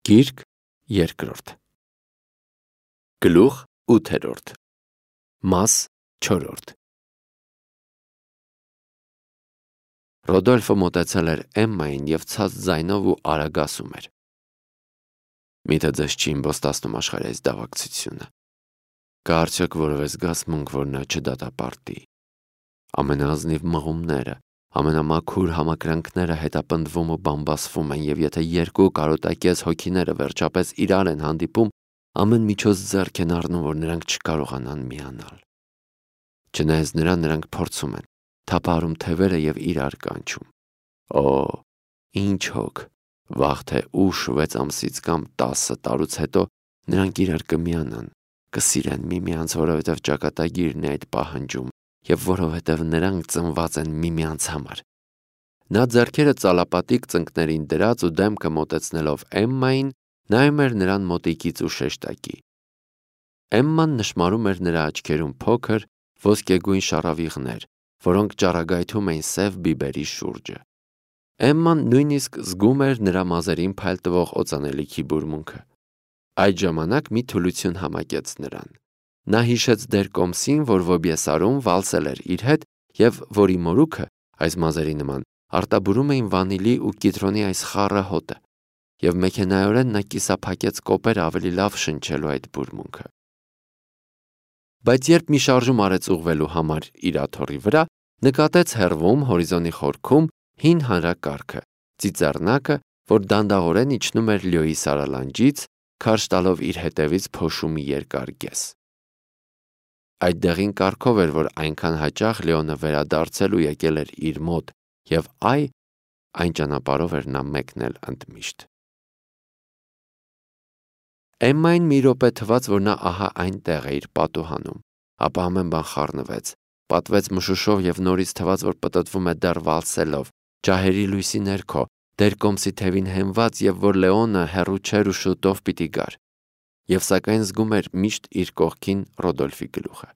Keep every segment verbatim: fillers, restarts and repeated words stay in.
Գիրք երկրորդ Գլուխ ութերորդ Մաս չորրորդ Ռոդոլֆը մոտեցել էր Էմմային և ցած ձայնով ու արագ ասում էր. «Միթե ձեզ չի իմպոստացնում աշխարհի այս դավակցությունը։ Կա արդյոք որևէ զգացմունք, որ նա չդատապարտի։ Ամենաազնիվ մղումները, ամենամաքուր համակրանքները հետապնդվում ու բամբասվում են, և եթե երկու կարոտակեզ հոգիները վերջապես իրար են հանդիպում, ամեն միջոց ձեռք են առնում, որ նրանք չկարողանան միանալ։ Չնայած նրան, նրանք փորձում են, թափահարում թևերը և իրար կանչում։ Օ, ինչ հոգ, վաղ թե ուշ վեց ամսից կամ տասը տարուց հետո նրանք իրար կմիանան, կսիրեն միմյանց, որովհետև ճակատագիրն է այդ պահանջում և որովհետև նրանք ծնված են միմյանց համար»։ Նա ձեռքերը ծալապատիկ ծնկներին դրած ու դեմքը մոտեցնելով Էմմային, նայում էր նրան մոտիկից ու շեշտակի։ Էմման նշմարում էր նրա աչքերում փոքր, ոսկեգույն շառավիղներ, որոնք ճառագայթում էին սև բիբերի շուրջը։ Էմման նույնիսկ զգում էր նրա մազերին փայլ տվող օծանելիքի բուրմունքը։ Այդ ժամանակ մի թուլություն համակեց նրան։ Նա հիշեց դեր կոմսին, որ Վոբյեսարում վալսել էր իր հետ և որի մորուքը, այս մազերի նման, արտաբուրում էին վանիլի ու կիտրոնի այս խառը հոտը, և մեքենայորեն նա կիսափակեց կոպեր ավելի լավ շնչելու այդ բուրմունքը։ Բայց երբ մի շարժում արեց ուղղվելու համար իր աթոռի վրա, նկատեց հեռվում հորիզոնի խորքում հին հանրակարգը, ծիծեռնակը, որ դանդաղորեն իջնում էր Լյոյի սարալանջից, քարշ տալով իր հետևից փոշու մի երկար գես։ Այդ դեղին կարգով էր, որ այնքան հաճախ Լեոնը վերադարձել ու եկել էր իր մոտ, և այ, այն ճանապարհով էր նա մեկնել ընդմիշտ։ Էմմային մի րոպե թվաց, որ նա ահա այնտեղ է իր պատուհանում, ապա ամեն բան խառնվեց, պատվեց մշուշով և նորից թվաց, որ պտտվում է դեռ վալսելով, ջահերի լույսի ներքո, դեր կոմսի թևին հենված, և որ Լեոնը հեռու չէր ու շուտով պիտի գար, և սակայն զգում էր միշտ իր կողքին Ռոդոլֆի գլուխը։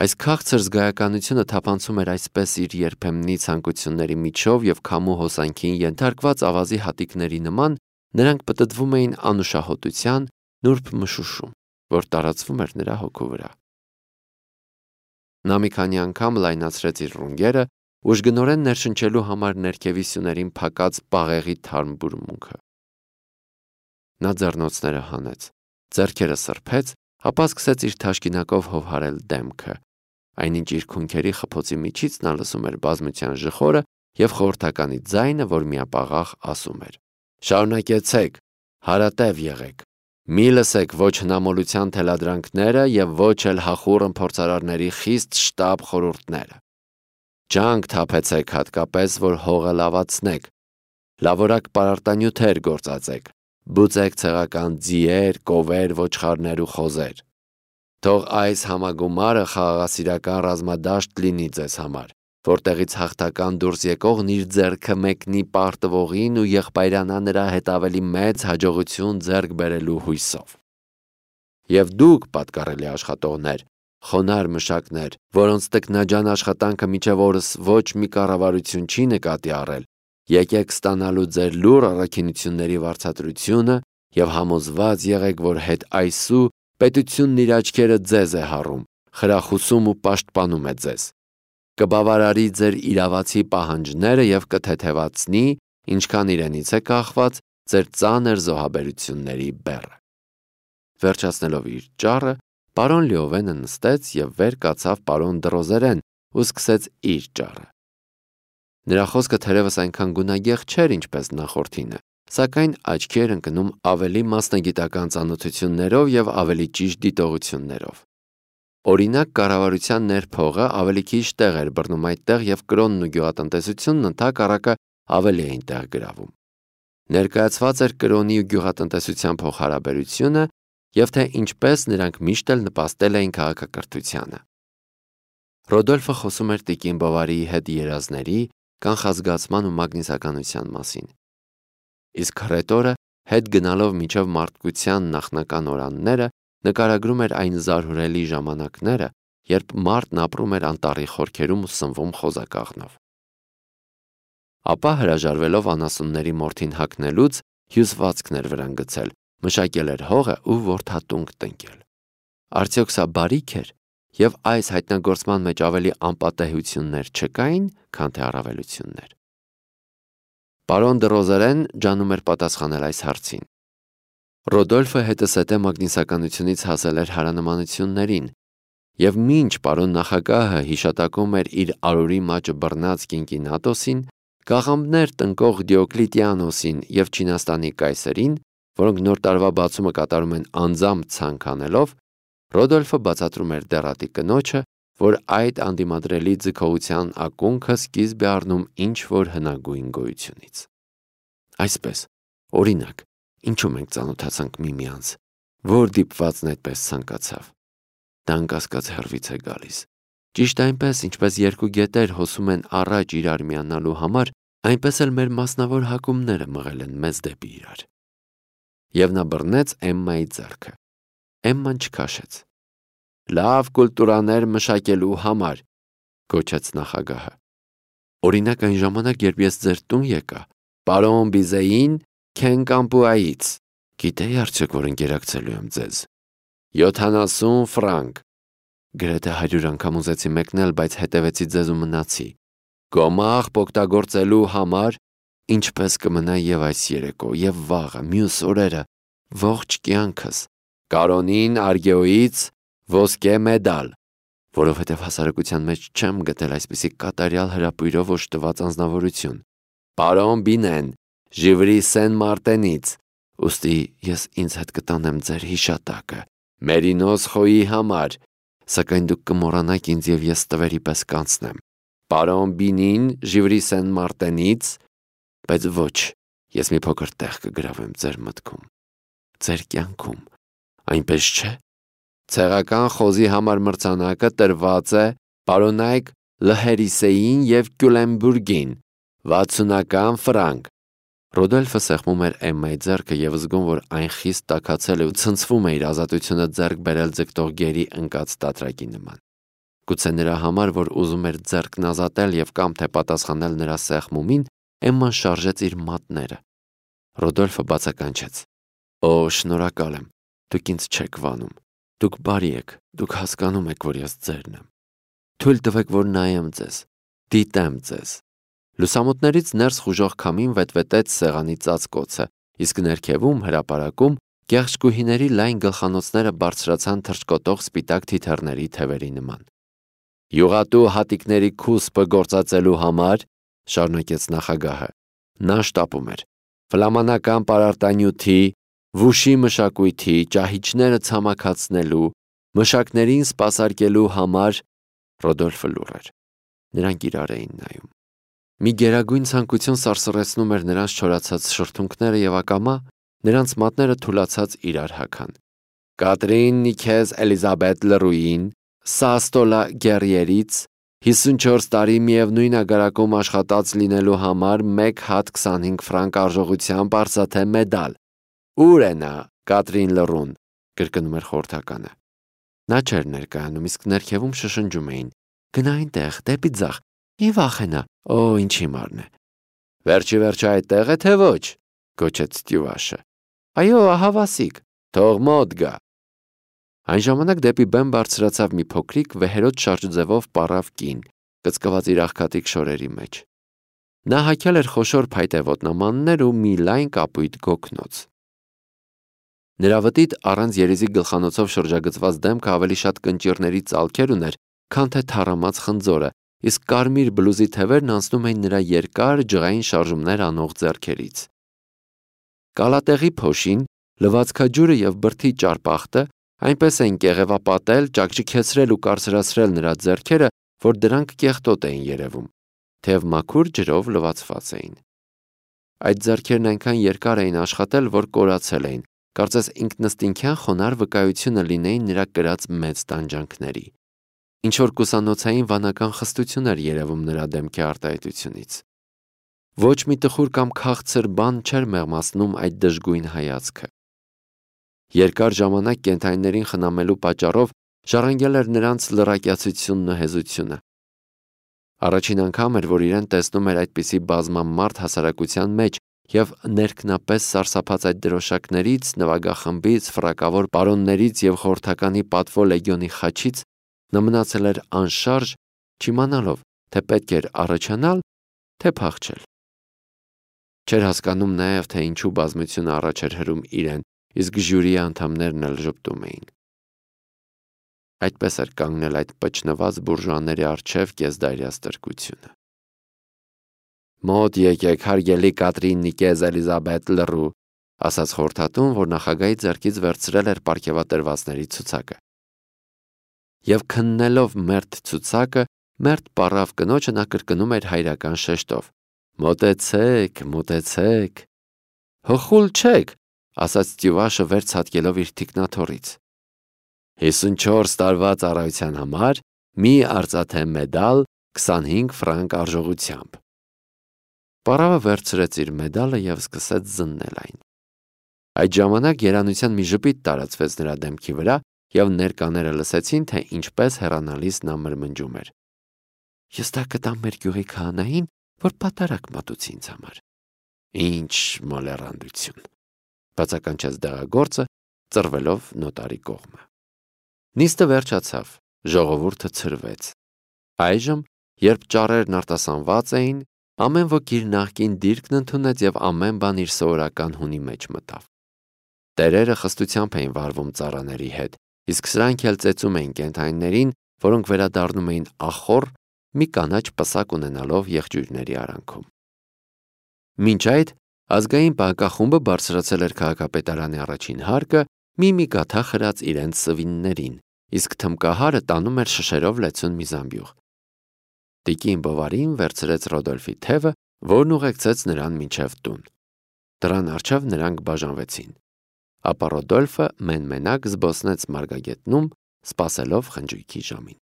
Այս քաղցր զգայականությունը թափանցում էր այսպես իր երբեմնի ցանկությունների միջով և քամու հոսանքին ենթարկված ավազի հատիկների նման, նրանք պտտվում էին անուշահոտության նուրբ մշուշում, որ տարածվում էր նրա հոգու վրա։ Նա մի քանի անգամ լայնացրեց իր ռունգերը, ուժգնորեն ներշնչելու համար ներքևի սյուներին փակած բաղեղի թարմ բուրմունքը։ Նա ձեռնոցները հանեց, ձեռքերը սրբեց, ապա սկսեց իր թաշկինակով հովհարել դեմքը, այնինչ իր քունքերի խփոցի միջից նա լսում էր բազմության ժխորը և խորհրդականի ձայնը, որ միապաղաղ ասում էր. «Շարունակեցեք, հարատև եղեք, մի լսեք ոչ հնամոլության թելադրանքները և ոչ էլ հախուռն փորձարարների խիստ շտապ խորհուրդները։ Ջանք թափեցեք հատկապես, որ հողը լավացնեք, լավորակ պարարտանյութեր գործածեք, բուծեք ցեղական ձիեր, կովեր, ոչխարներ ու խոզեր։ Թող այս համագումարը խաղաղասիրական ռազմադաշտ լինի ձեզ համար, որտեղից հաղթական դուրս եկողն իր ձեռքը մեկնի պարտվողին ու եղբայրանա նրա հետ ավելի մեծ հաջողություն ձեռք բերելու հույսով։ Եվ դուք, պատկառելի աշխատողներ, խոնարհ մշակներ, որոնց տքնաջան աշխատանքը մինչև օրս ոչ մի կառավարություն չի նկատի առել, եկեք ստանալու ձեր լուռ առաքինությունների վարձատրությունը և համոզված եղեք, որ հետ այսու պետությունն իր աչքերը ձեզ է հառում, խրախուսում ու պաշտպանում է ձեզ, կբավարարի ձեր իրավացի պահանջները և կթեթևացնի, ինչքան իրենից է կախված, ձեր ծանր զոհաբերությունների բեռը»։ Վերջացնելով իր ճառը, պարոն Լեովենը նստեց և վեր կացավ պարոն Դրոզերեն ու սկսեց իր ճառը։ Նրա խոսքը թերևս այնքան գունագեղ չէր, ինչպես նախորդինը, սակայն աչքի էր ընկնում ավելի մասնագիտական ծանոթություններով և ավելի ճիշտ դիտողություններով։ Օրինակ, կառավարության ներփողը ավելի քիչ տեղ էր բռնում այդտեղ և կրոնն ու գյուղատնտեսությունն ընդհակառակը ավելի էին տեղ գրավում։ Ներկայացված էր կրոնի ու գյուղատնտեսության փոխհարաբերությունը և թե ինչպես նրանք միշտ էլ նպաստել էին քաղաքակրթությանը։ Ռոդոլֆը խոսում էր տիկին Բովարիի հետ երազների, կանխազգացման ու մագնիսականության մասին։ Իսկ հռետորը, հետ գնալով մինչև մարդկության նախնական օրանները, նկարագրում էր այն զարհուրելի ժամանակները, երբ մարդն ապրում էր անտառի խորքերում ու սնվում խոզակաղնով։ Ապա հրաժարվելով անասունների մորթին հագնելուց հյուսվածքն էր վրան գցել, մշակել էր հողը ու որդատունկ տնկել։ Արդյոք սա բարիք էր, եւ այս հայտնագործման մեջ ավելի անպատեհություններ չկային, քան թե առավելություններ։ Պարոն դը Ռոզերեն ջանում էր պատասխանել այս հարցին։ Ռոդոլֆը հետսետե մագնիսականությունից հասել էր հարանմանություններին, եւ մինչ պարոն նախագահը հիշատակում էր իր արորի մաճը բռնած Կինկինատոսին, կաղամբներ տնկող Դիոկլիտիանոսին եւ Չինաստանի կայսերին, որոնք նոր տարվա բացումը կատարում են անձամբ ցանկանելով, Ռոդոլֆը բացատրում էր դեռատի կնոջը, որ այդ անդիմադրելի ձգողության ակունքը սկիզբ է առնում ինչ-որ հնագույն գոյությունից։ Այսպես, օրինակ, ինչու մենք ծանոթացանք միմյանց, որ դիպվածն այդպես ցանկացավ։ Դա անկասկած հեռվից է գալիս։ Ճիշտ այնպես, ինչպես երկու գետեր հոսում են առաջ իրար միանալու համար, այնպես էլ մեր մասնավոր հակումները մղել են մեզ դեպի իրար։ Եվ նա բռնեց Էմմայի ձեռքը։ Էմման չքաշեց։ Լավ կուլտուրաներ մշակելու համար, գոչեց նախագահը։ Օրինակ այն ժամանակ, երբ ես ձեր տուն եկա, պարոն Բիզեին Քենկամպուայից, գիտեի արդյոք, որ ընկերակցելու եմ ձեզ։ յոթանասուն ֆրանկ։ Գրեթե հարյուր անգամ ուզեցի մեկնել, բայց հետևեցի ձեզ ու մնացի։ Գոմաղ օգտագործելու համար, ինչպես կմնա եւ այս երեկո, եւ վաղը, մյուս օրերը, ողջ կյանքս, Կարոնին Արգեոյից ոսկե մեդալ, որովհետև հասարակության մեջ չեմ գտել այսպիսի կատարյալ հրապույրով օժտված անձնավորություն։ Պարոն Բինեն, Ժիվրի Սեն Մարտենից, ուստի ես ինձ հետ կտանեմ ձեր հիշատակը, Մերինոս Խոյի համար, սակայն դուք կմոռանաք ինձ եւ ես տվերի պես կանցնեմ։ Պարոն Բինին, Ժիվրի Սեն Մարտենից, բայց ոչ, ես մի փոքր տեղ կգրավեմ ձեր մտքում, ձեր կյանքում, այնպես չէ։ Ցեղական խոզի համար մրցանակը տրված է պարոնայք Լհերիսեին եւ Կյուլենբուրգին, վաթսունական ֆրանկ։ Ռոդոլֆը սեղմում էր Էմմայի ձեռքը եւ զգում, որ այն խիստ տաքացել է ու ցնցվում է իր ազատությունը ձեռք բերել ձգտող գերի ընկած տատրակի նման։ Գուցե նրա համար, որ ուզում էր ձեռքն ազատել եւ կամ թե պատասխանել նրա սեղմումին, Էմման շարժեց իր մատները։ Ռոդոլֆը բացականչեց. Օ, շնորհակալ եմ, դուք ինձ չեք վանում, դուք բարի եք, դուք հասկանում եք, որ ես ձերն եմ։ Թույլ տվեք, որ նայեմ ձեզ, դիտեմ ձեզ։ Լուսամուտներից ներս խուժող քամին վետվետեց սեղանի ծածկոցը, իսկ ներքևում հրապարակում կեղճկուհիների լայն գլխանոցները բարձրացան թռչկոտող սպիտակ թիթեռների թևերի նման։ Յուղատու հատիկների քուսպը գործածելու համար, շարունակեց նախագահը, նա շտապում էր ֆլամանական պարարտանյութի, վուշի մշակույթի, ճահիճները ցամաքացնելու, մշակներին սպասարկելու համար։ Ռոդոլֆը լուռ էր։ Նրանք իրար էին նայում։ Մի գերագույն ցանկություն սարսռեցնում էր նրանց չորացած շրթունքները եւ ակամա նրանց մատները թուլացած իրար հագան։ Կատրին Նիքեզ Էլիզաբետ Լռուին, Սաստոլա Գերիերից հիսունչորս տարի միևնույն ագարակում աշխատած լինելու համար մեկ հատ քսանհինգ ֆրանկ արժողությամբ արծաթե մեդալ։ Ուր է նա, Կատրին Լռուն, կրկնում էր խորհրդականը։ Նա չէր ներկայանում, իսկ ներքևում շշնջում էին. Գնա այնտեղ, դեպի ձախ, մի վախենա, օ, ինչ հիմարն է։ Վերջի վերջը այդտեղ է, թե ոչ, գոչեց Ստյուաշը։ Այո, ահավասիկ, թող մոտ գա։ Այն ժամանակ դեպի բեմ բարձրացավ մի փոքրիկ վեհերոտ շարժձևով պառավ կին, կծկված իր աղքատիկ շորերի մեջ։ Նա հագել էր խոշոր փայտե ոտնամաններ ու մի լայն կապույտ գոգնոց։ Նրա վտիտ առանց երիզի գլխանոցով շրջագծված դեմքը ավելի շատ կնճիռների ծալքեր ուներ, քան թե թառամած խնձորը, իսկ կարմիր բլուզի թևերն անցնում էին նրա երկար ջղային շարժումներ անող ձեռքերից։ Կալատեղի փոշին, լվացքաջուրը եւ բրդի ճարպախտը այնպես էին կեղևապատել, ճակճիքեցրել ու կարծրացրել նրա ձեռքերը, որ դրանք կեղտոտ էին երևում, թեև մաքուր ջրով լվացված էին։ Այդ ձեռքերն այնքան երկար էին աշխատել, որ կորացել էին, կարծես ինքնըստինքյան խոնար վկայությունը լինեին նրա կրած մեծ տանջանքների։ Ինչ-որ կուսանոցային վանական խստություն էր երևում նրա դեմքի արտահայտությունից։ Ոչ մի տխուր կամ քաղցր բան չէր մեղմացնում այդ դժգույն հայացքը։ Երկար ժամանակ կենդանիներին խնամելու պատճառով ժառանգել էր նրանց լռակյացությունն ու հեզությունը։ Առաջին անգամ էր, որ իրեն տեսնում էր այդպիսի բազմամարդ հասարակության մեջ և ներքնապես սարսափած այդ դրոշակներից, նվագախմբից, ֆրակավոր պարոններից և խորհրդականի պատվո լեգիոնի խաչից նա մնացել էր անշարժ, չիմանալով, թե պետք էր առաջանալ, թե փախչել։ Չէր հասկանում նաև, թե ինչու բազմությունը առաջ էր հրում իրեն, իսկ ժյուրիի անդամներն էլ ժպտում էին։ Այդպես էր կանգնել այդ պճնված բուրժուաների առջև կեսդարյա ստրկությունը։ «Մոտ եկեք, հարգելի Կատրին Նիկեզ Էլիզաբետ Լռու», ասաց խորհրդատուն, որ նախագահի ձեռքից վերցրել էր պարգևատրվածների ցուցակը։ Եվ քննելով մերթ ցուցակը, մերթ պառավ կնոջը նա կրկնում էր հայրական շեշտով. «Մոտեցեք, մոտեցեք»։ «Հխուլ չեք», ասաց Ստյուվաշը վեր ցատկելով իր թիկնաթոռից։ «հիսունչորս տարվա ծառայության համար մի արծաթե մեդալ քսանհինգ ֆրանկ արժողությամբ»։ Պառավը վերցրեց իր մեդալը և սկսեց զննել այն։ Այդ ժամանակ երանության մի ժպիտ տարածվեց նրա դեմքի վրա, և ներկաները լսեցին, թե ինչպես հեռանալիս նա մրմնջում էր. «Ես դա կտամ մեր գյուղի քահանային, որ պատարագ մատուցի ինձ համար»։ «Ինչ մոլեռանդություն», բացականչեց դեղագործը, ծռվելով նոտարի կողմը։ Նիստը վերջացավ, ժողովուրդը ցրվեց։ Այժմ, երբ ճառերն արտասանված էին, ամեն ոք իր նախկին դիրքն ընդունեց և ամեն բան իր սովորական հունի մեջ մտավ։ Տերերը խստությամբ էին վարվում ծառաների հետ, իսկ սրանք էլ ծեծում էին կենդանիներին, որոնք վերադառնում էին ախոռ, մի կանաչ պսակ ունենալով եղջյուրների արանքում։ Մինչ այդ, ազգային պահակախումբը բարձրացել էր քաղաքապետարանի առաջին հարկը, մի-մի գաթա խրած իրենց սվիններին, իսկ թմկահարը տանում էր շշերով լեցուն մի զամբյուղ։ Տիկին Բովարին վերցրեց Ռոդոլֆի թևը, որն ուղեկցեց նրան մինչև տուն։ Դռան առջև նրանք բաժանվեցին։ Ապա Ռոդոլֆը մեն-մենակ զբոսնեց մարգագետնում, սպասելով խնջույքի ժամին։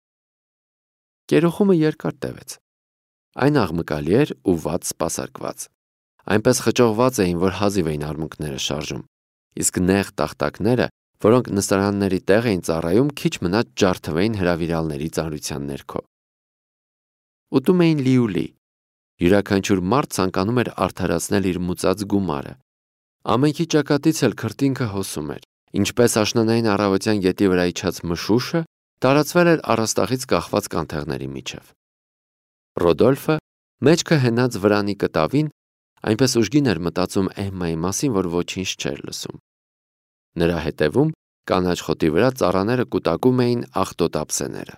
Կերոխումը երկար տևեց։ Այն աղմկալի էր ու վատ սպասարկված։ Այնպես խճողված էին, որ հազիվ էին արմունկները շարժում, իսկ նեղ տախտակները, որոնք նստարանների տեղ էին ծառայում, քիչ մնաց ջարդվեին հրավիրալների ծանրության ներքո։ Ուտում էին լիուլի։ Յուրաքանչյուր մարդ ցանկանում էր արդարացնել իր մուծած գումարը։ Ամենքի ճակատից էլ քրտինքը հոսում էր, ինչպես աշնանային առավոտյան գետի վրա իջած մշուշը տարածվել էր առաստաղից կախված կանթեղների միջև։ Ռոդոլֆը, մեջքը հենած վրանի կտավին, այնպես ուժգին էր մտածում Էմմայի մասին, որ ոչինչ չէր լսում։ Նրա հետևում կանաչ խոտի վրա ծառաները կուտակում էին աղտոտապսեները։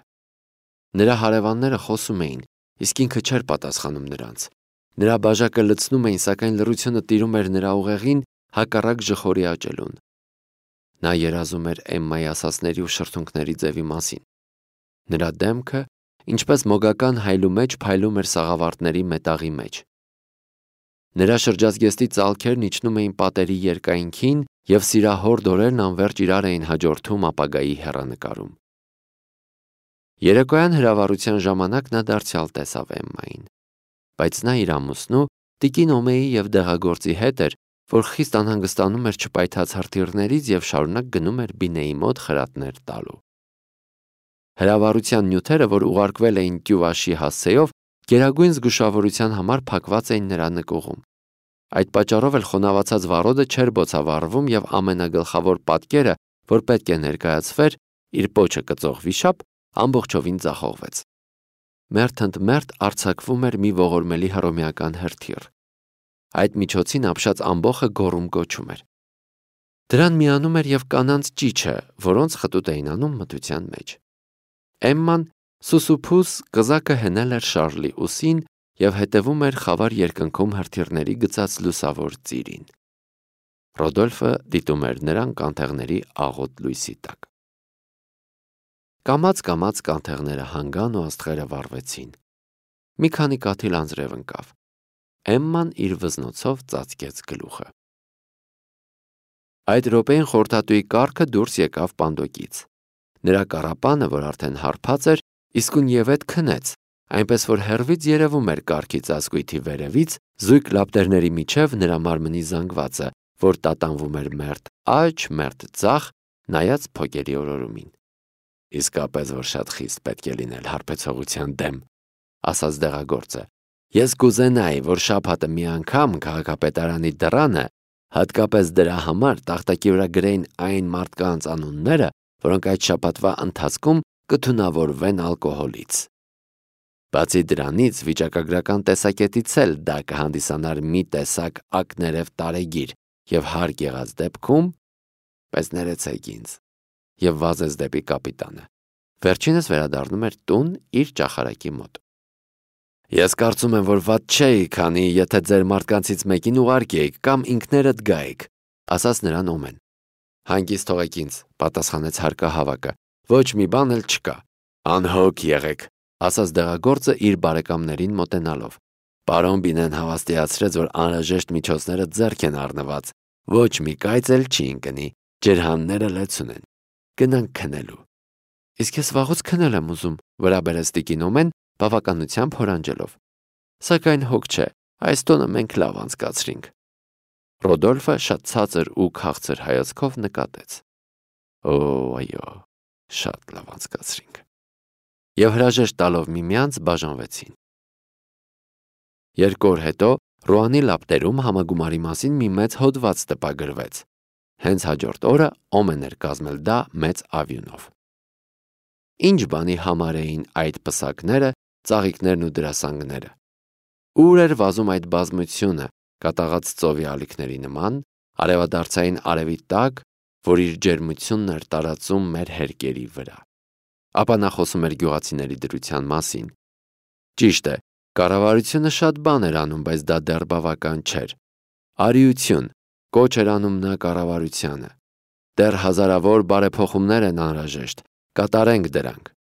Նրա հարևանները խոսում էին, իսկ ինքը չէր պատասխանում նրանց։ Նրա բաժակը լցնում էին, սակայն լռությունը տիրում էր նրա ուղեղին հակառակ ժխորի աճելուն։ Նա երազում էր Էմմայի ասածների ու շրթունքների ձևի մասին։ Նրա դեմքը, ինչպես մոգական հայլու մեջ, փայլում էր սաղավարտների մետաղի մեջ։ Նրա շրջազգեստի ծալքերն իջնում էին պատերի երկայնքին, և սիրահոր դորերն անվերջ իրար էին հաջորդում ապագայի հեռանկարում։ Երեկոյան հրավառության ժամանակ նա դարձյալ տեսավ Էմմային, բայց նա իր ամուսնու, տիկին Օմեի և դեղագործի հետ էր, որ խիստ անհանգստանում էր չպայթած հրթիռներից և շարունակ գնում էր Բինեի մոտ խրատներ տալու։ Հրավառության նյութերը, որ ուղարկվել էին Տյուվաշի հասցեով, գերագույն զգուշավորության համար փակված էին նրա նկուղում։ Այդ պատճառով էլ խոնավացած վառոդը չէր բոցավառվում և ամենագլխավոր պատկերը, որ պետք է ներկայացվեր, իր պոչը կծող վիշապ, ամբողջովին ձախողվեց։ Մերթ ընդ մերթ արձակվում էր մի ողորմելի հռոմեական հրթիռ։ Այդ միջոցին ապշած ամբոխը գոռում կոչում էր։ Դրան միանում էր և կանանց ճիչը, որոնց խտուտ էին անում մթության մեջ։ Էմման սուսուփուս կզակը հենել էր Շարլի ուսին և հետևում էր խավար երկնքում հրթիռների գծած լուսավոր ծիրին։ Ռոդոլֆը դիտում էր նրան կանթեղների աղոտ լույսի տակ։ Կամաց-կամաց կանթեղները հանգան ու աստղերը վառվեցին։ Մի քանի կաթիլ անձրև ընկավ։ Էմման իր վզնոցով ծածկեց գլուխը։ Այդ րոպեին խորհրդատուի կառքը դուրս եկավ պանդոկից։ Նրա կառապանը, որ արդեն հարբած էր, իսկույնևեթ քնեց, այնպես որ հեռվից երևում էր կառքի ծածկույթի վերևից, զույգ լապտերների միջև նրա մարմնի զանգվածը, որ տատանվում էր մերթ աջ, մերթ ձախ, նայած փոկերի օրորումին։ Իսկապես որ շատ խիստ պետք է լինել հարբեցողության դեմ, ասաց դեղագործը, Ես կուզենայի, որ շաբաթը մի անգամ քաղաքապետարանի դռանը հատկապես դրա համար տախտակի վրա գրեին այն մարդկանց անունները, որոնք այդ շաբաթվա ընթացքում կթունավորվեն ալկոհոլից։ Բացի դրանից, վիճակագրական տեսակետից էլ դա կհանդիսանար մի տեսակ ակներև տարեգիր եւ հարկ եղած դեպքում, պես ներեցեք ինձ, եւ վազեց դեպի կապիտանը։ Վերջինս վերադառնում էր տուն իր ճախարակի մոտ։ Ես կարծում եմ, որ վատ չէի, քանի եթե ձեր մարդկանցից մեկին ուղարկեիք կամ ինքներդ գայիք, ասաց նրան Օմեն։ Հանգիստ թողեք ինձ, պատասխանեց հարկահավաքը, ոչ մի բան էլ չկա։ Անհոգ եղեք, ասաց դեղագործը իր բարեկամներին մոտենալով։ Պարոն Բինեն հավաստիացրեց, որ անհրաժեշտ միջոցները ձեռք են առնված, ոչ մի կայծ էլ չի ընկնի, ջրհանները լեցուն են։ Գնանք քնելու։ Իսկ ես վաղուց քնել եմ ուզում, վրա բերեց տիկին Օմեն, բավականությամբ հորանջելով։ Սակայն հոգ չէ, այս տոնը մենք լավ անցկացրինք։ Ռոդոլֆը շատ ցածր ու քաղցր հայացքով նկատեց։ Օ, այո, շատ լավ անցկացրինք։ Եվ հրաժեշտ տալով միմյանց բաժանվեցին։ Երկու օր հետո Ռուանի լապտերում համագումարի մասին մի մեծ հոդված տպագրվեց։ Հենց հաջորդ օրը Օմեն էր կազմել դա մեծ ավյունով։ Ինչ բանի համար էին այդ պսակները, ծաղիկներն ու դրասանգները։ Ուր էր վազում այդ բազմությունը, կատաղած ծովի ալիքների նման, արևադարձային արևի տակ, որ իր ջերմությունն էր տարածում մեր հերկերի վրա։ Ապա նա խոսում էր գյուղացիների դրության մասին։ Ճիշտ է, կառավարությունը շատ բան էր անում, բայց դա դեռ բավական չէր։ Արիություն, կոչ էր անում նա կառավարությանը։ Դեռ հազարավոր բարեփոխումներ են անհրաժեշտ, կատարենք դրանք։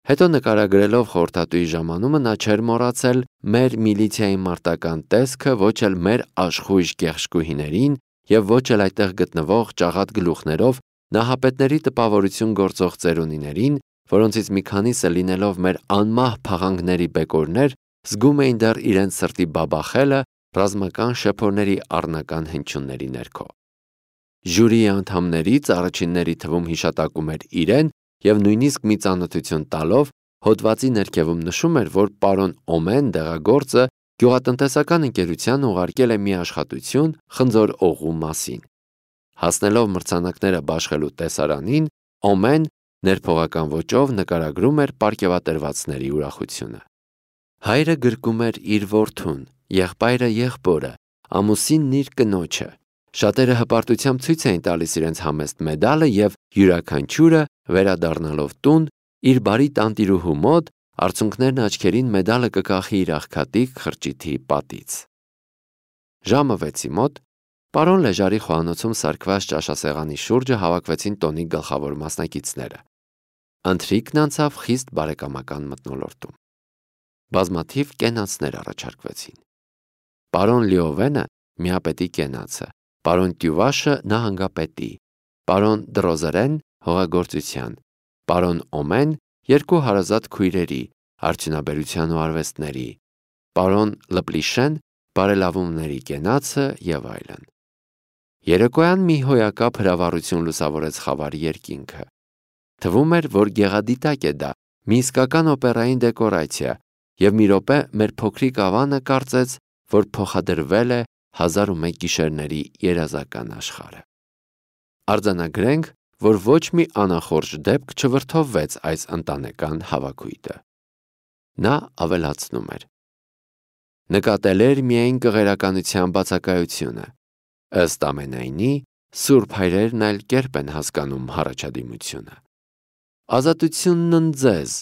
Հետո նկարագրելով խորհրդատուի ժամանումը նա չէր մոռացել մեր միլիցիայի մարտական տեսքը, ոչ էլ մեր աշխույժ գեղշկուհիներին եւ ոչ էլ այդտեղ գտնվող ճաղատ գլուխներով նահապետների տպավորություն գործող ծերունիներին, որոնցից մի քանիսը լինելով մեր անմահ փաղանգների բեկորներ, զգում էին դեռ իրենց սրտի բաբախելը ռազմական շեփորների առնական հնչյունների ներքո։ Ժյուրիի անդամներից առաջինների թվում հիշատակում էր իրեն եւ նույնիսկ մի ծանոթություն տալով հոդվածի ներքևում նշում էր, որ պարոն Օմեն դեղագործը գյուղատնտեսական ընկերության ուղարկել է մի աշխատություն խնձոր օղու մասին։ Հասնելով մրցանակները բաշխելու տեսարանին, Օմեն ներփողական ոճով նկարագրում էր պարգևատրվածների ուրախությունը։ Հայրը գրկում էր իր որդուն, եղբայրը եղբորը, ամուսինն իր կնոջը։ Շատերը հպարտությամբ ցույց էին տալիս իրենց համեստ մեդալը եւ յուրաքանչյուրը վերադառնալով տուն իր բարի տանտիրուհու մոտ արցունքներն աչքերին մեդալը կկախի իր աղքատիկ խրճիթի պատից։ Ժամը վեցի մոտ պարոն Լեժարի խոհանոցում սարքված ճաշասեղանի շուրջը հավաքվեցին տոնի գլխավոր մասնակիցները։ Ընթրիքն անցավ խիստ բարեկամական մթնոլորտում։ Բազմաթիվ կենացներ առաջարկվեցին։ Պարոն Լիովենը միապետի կենացը, պարոն Տյուվաշը նահանգապետի, պարոն Դրոզերեն հողագործության, պարոն Օմեն երկու հարազատ քույրերի, արդյունաբերության ու արվեստների, պարոն Լպլիշեն բարելավումների կենացը եւ այլն։ Երեկոյան մի հոյակապ հրավառություն լուսավորեց խավարի երկինքը։ Թվում էր, որ գեղադիտակ է դա, մի իսկական օպերային դեկորացիա, եւ մի րոպե մեր փոքրիկ ավանը կարծեց, որ փոխադրվել է հազար ու մեկ գիշերների երազական աշխարհը։ Արձանագրենք, որ ոչ մի անախորժ դեպք չվրդովվեց այս ընտանեկան հավաքույթը։ Նա ավելացնում էր. նկատել էր միայն կղերականության բացակայությունը, ըստ ամենայնի, սուրբ հայրերն այլ կերպ են հասկանում հառաջադիմությունը։ Ազատությունն ընձեզ,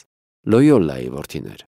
Լոյոլայի որդիներ։